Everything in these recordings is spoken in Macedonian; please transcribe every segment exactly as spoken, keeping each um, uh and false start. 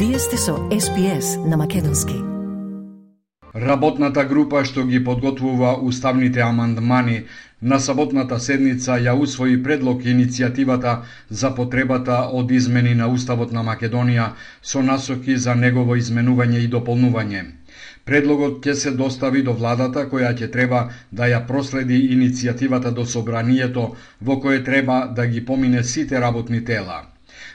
Вие сте со Ес Би Ес на македонски. Работната група што ги подготвува уставните амандмани на саботната седница ја усвои предлог иницијативата за потребата од измени на Уставот на Македонија со насоки за негово изменување и дополнување. Предлогот ќе се достави до владата, која ќе треба да ја проследи иницијативата до собранието, во кое треба да ги помине сите работни тела.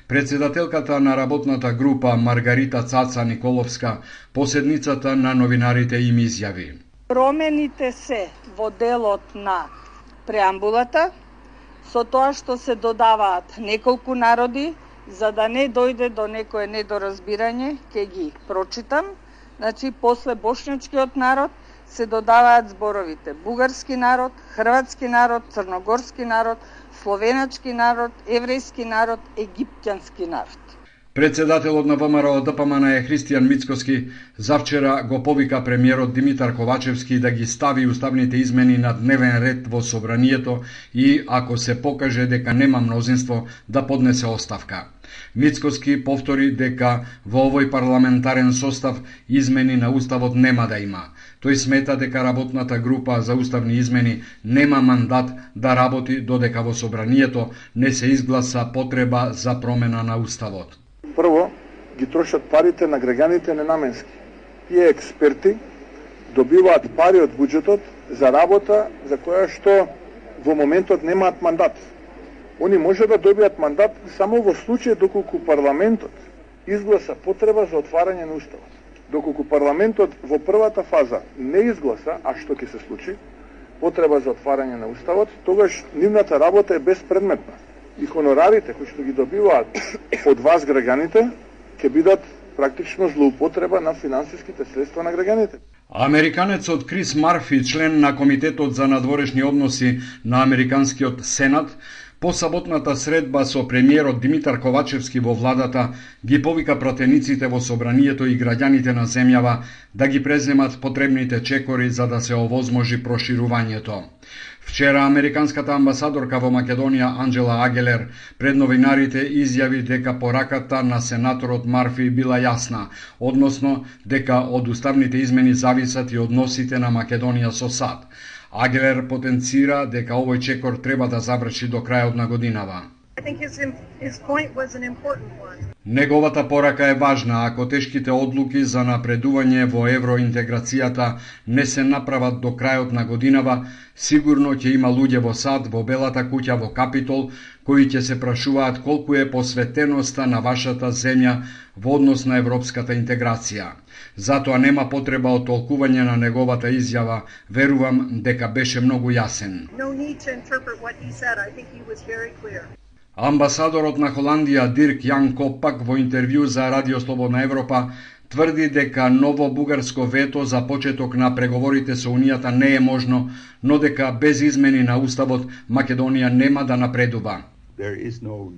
Председателката на работната група Маргарита Цаца Николовска по седницата на новинарите им изјави: Промените се во делот на преамбулата, со тоа што се додаваат неколку народи, за да не дојде до некое недоразбирање, ќе ги прочитам. Значи, после бошњачкиот народ се додаваат зборовите бугарски народ, хрватски народ, црногорски народ, словеначки народ, еврејски народ, египтјански народ. Председателот на Во Ем Р О Д П М Н е Христијан Мицкоски завчера го повика премиерот Димитар Ковачевски да ги стави уставните измени на дневен ред во собранието и, ако се покаже дека нема мнозинство, да поднесе оставка. Мицкоски повтори дека во овој парламентарен состав измени на Уставот нема да има. Тој смета дека работната група за уставни измени нема мандат да работи додека во собранието не се изгласа потреба за промена на Уставот. Прво, ги трошат парите на граѓаните ненаменски. Тие експерти добиваат пари од буџетот за работа за која што во моментот немаат мандат. Они може да добијат мандат само во случај доколку парламентот изгласа потреба за отварање на Уставот. Доколку парламентот во првата фаза не изгласа, а што ќе се случи, потреба за отварање на Уставот, тогаш нивната работа е безпредметна. И хонорарите кои што ги добиваат од вас граѓаните ќе бидат практично злоупотреба на финансиските средства на граѓаните. Американецот Крис Марфи, член на Комитетот за надворешни односи на Американскиот Сенат, по саботната средба со премиерот Димитар Ковачевски во владата, ги повика пратениците во собранието и граѓаните на земјава да ги преземат потребните чекори за да се овозможи проширувањето. Вчера американската амбасадорка во Македонија Анџела Агелер пред новинарите изјави дека пораката на сенаторот Марфи била јасна, односно дека од уставните измени зависат и односите на Македонија со САД. Агелер потенцира дека овој чекор треба да заврши до крајот на годинава. Неговата порака е важна. Ако тешките одлуки за напредување во евроинтеграцијата не се направат до крајот на годинава, сигурно ќе има луѓе во САД, во Белата куќа, во Капитол, кои ќе се прашуваат колку е посветеноста на вашата земја во однос на европската интеграција. Затоа нема потреба од толкување на неговата изјава. Верувам дека беше многу јасен. Амбасадорот на Холандија Дирк Јан Копак во интервју за Радио Слободна Европа тврди дека ново бугарско вето за почеток на преговорите со Унијата не е можно, но дека без измени на Уставот Македонија нема да напредува. No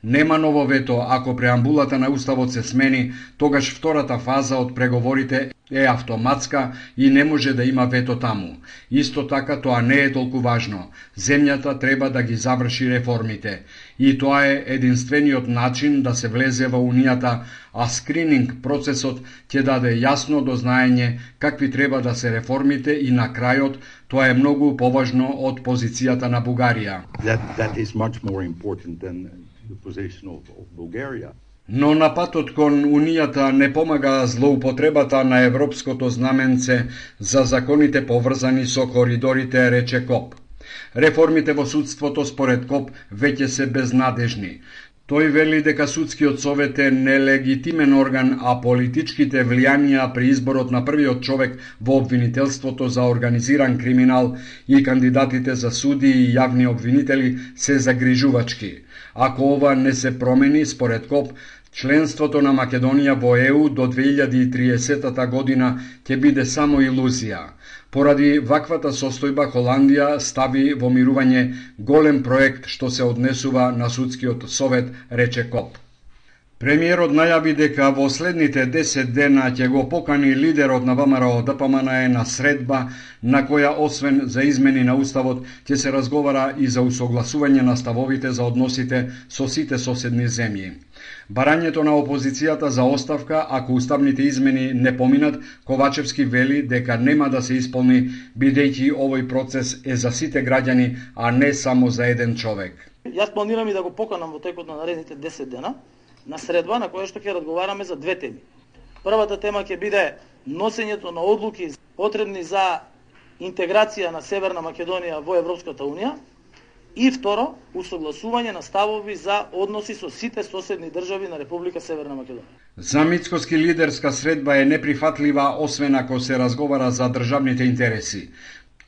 Нема ново вето. Ако преамбулата на Уставот се смени, тогаш втората фаза од преговорите е автоматска и не може да има вето таму. Исто така тоа не е толку важно. Земјата треба да ги заврши реформите. И тоа е единствениот начин да се влезе во Унијата, а скрининг процесот ќе даде јасно дознаење какви треба да се реформите и на крајот тоа е многу поважно од позицијата на Бугарија. That, that is much more important than the position of, of Bulgaria. Но на патот кон Унијата не помага злоупотребата на европското знаменце за законите поврзани со коридорите, рече Коп. Реформите во судството според Коп веќе се безнадежни. Тој вели дека судскиот совет е нелегитимен орган, а политичките влијанија при изборот на првиот човек во обвинителството за организиран криминал и кандидатите за суди и јавни обвинители се загрижувачки. Ако ова не се промени, според Коп, членството на Македонија во Е У до две илјади и триесета година ќе биде само илузија. Поради ваквата состојба Холандија стави во мирување голем проект што се однесува на судскиот совет, рече Коп. Премиерот најави дека во следните десет дена ќе го покани лидерот на ВМРО Д П М Н Е на средба на која освен за измени на уставот ќе се разговара и за усогласување на ставовите за односите со сите соседни земји. Барањето на опозицијата за оставка ако уставните измени не поминат, Ковачевски вели дека нема да се исполни бидејќи овој процес е за сите граѓани, а не само за еден човек. Јас планирам и да го поканам во текот на наредните десет дена на средба на која што ќе разговараме за две теми. Првата тема ќе биде носењето на одлуки потребни за интеграција на Северна Македонија во Европската Унија и второ, усогласување на ставови за односи со сите соседни држави на Република Северна Македонија. За мицкоски лидерска средба е неприфатлива освен ако се разговара за државните интереси.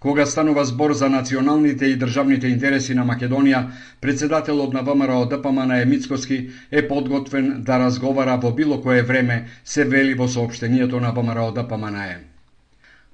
Кога станува збор за националните и државните интереси на Македонија, председателот на ВМРО Д П М Н Е Мицкоски е подготвен да разговара во било кое време, се вели во соопштението на ВМРО Д П М Н Е.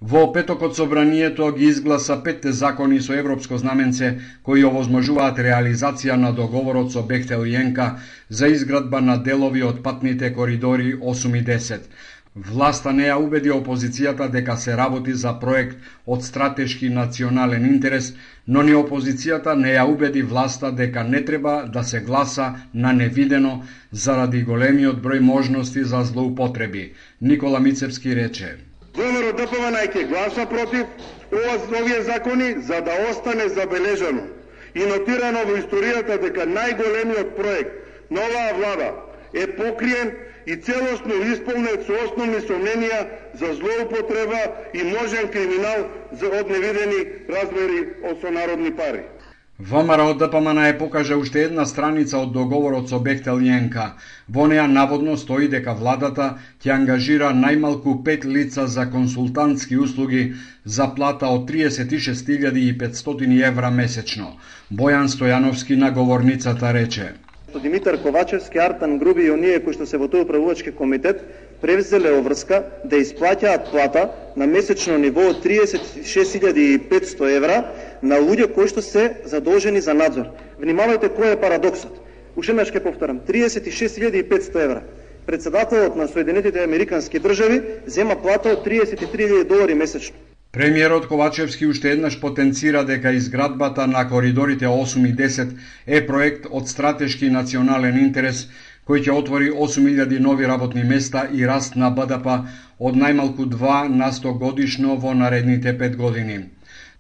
Во петокот собранието ги изгласа петте закони со европско знаменце кои овозможуваат реализација на договорот со Бехтел и Енка за изградба на делови од патните коридори осум и десет. Власта не ја убеди опозицијата дека се работи за проект од стратешки национален интерес, но ни опозицијата не ја убеди власта дека не треба да се гласа на невидено заради големиот број можности за злоупотреби. Никола Мицевски рече: ВМРО Д П М Н Е ќе гласа против овие закони за да остане забележано и нотирано во историјата дека најголемиот проект на оваа влада е покриен и целосно исполнет со основни сомненија за злоупотреба и можен криминал за од невидени размери од сонародни пари. ВМРО Д П М Н Е покажа уште една страница од договорот со Бехтел и Енка. Во неа наводно стои дека владата ќе ангажира најмалку пет лица за консултантски услуги за плата од триесет и шест илјади и петстотини евра месечно. Бојан Стојановски на говорницата рече: Димитар Ковачевски, Артан Груби и оние кои што се во тој управувачки комитет превзеле оврска да исплаќаат плата на месечно ниво од триесет и шест илјади и петсто евра на луѓе кои што се задолжени за надзор. Внимавајте кој е парадоксот. Уште еднаш ќе повторам, триесет и шест илјади и петсто евра. Председателот на Соединетите американски држави зема плата од триесет и три илјади долари месечно. Премиерот Ковачевски уште еднаш потенцира дека изградбата на коридорите осум и десет е проект од стратешки национален интерес кој ќе отвори осум илјади нови работни места и раст на Б Д П од најмалку два на сто годишно во наредните пет години.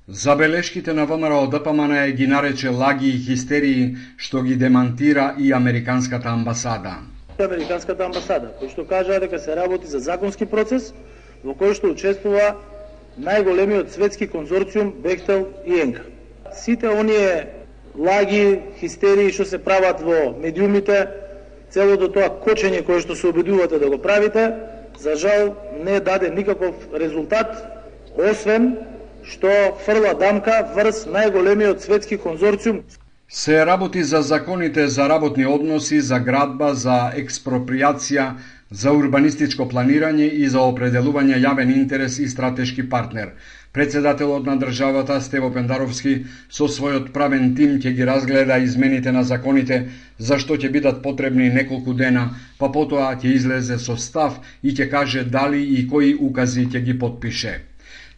Забелешките на ВМРО Д П М Н Е ги нарече лаги и хистерии, што ги демантира и Американската амбасада. Американската амбасада, кој што кажа дека се работи за законски процес во кој што учествува најголемиот светски конзорциум Бехтел и Енка. Сите оние лаги, хистерии што се прават во медиумите, целото тоа кочење кое што се обидувате да го правите, за жал не даде никаков резултат, освен што фрла дамка врз најголемиот светски конзорциум. Се работи за законите за работни односи, за градба, за експроприација, за урбанистичко планирање и за определување јавен интерес и стратешки партнер. Председателот на државата Стево Пендаровски со својот правен тим ќе ги разгледа измените на законите, за што ќе бидат потребни неколку дена, па потоа ќе излезе со став и ќе каже дали и кои укази ќе ги потпише.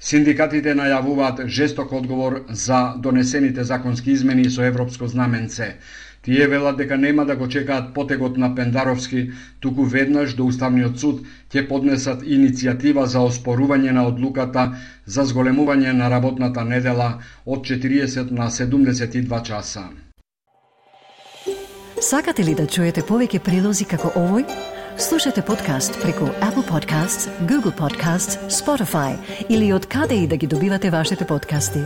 Синдикатите најавуваат жесток одговор за донесените законски измени со европско знаменце. Тие велат дека нема да го чекаат потегот на Пендаровски, туку веднаш до Уставниот суд ќе поднесат иницијатива за оспорување на одлуката за зголемување на работната недела од четириесет на седумдесет и два часа. Сакате ли да чуете повеќе прилози како овој? Слушате подкаст преку Apple Podcasts, Google Podcasts, Spotify или од каде и да ги добивате вашите подкасти.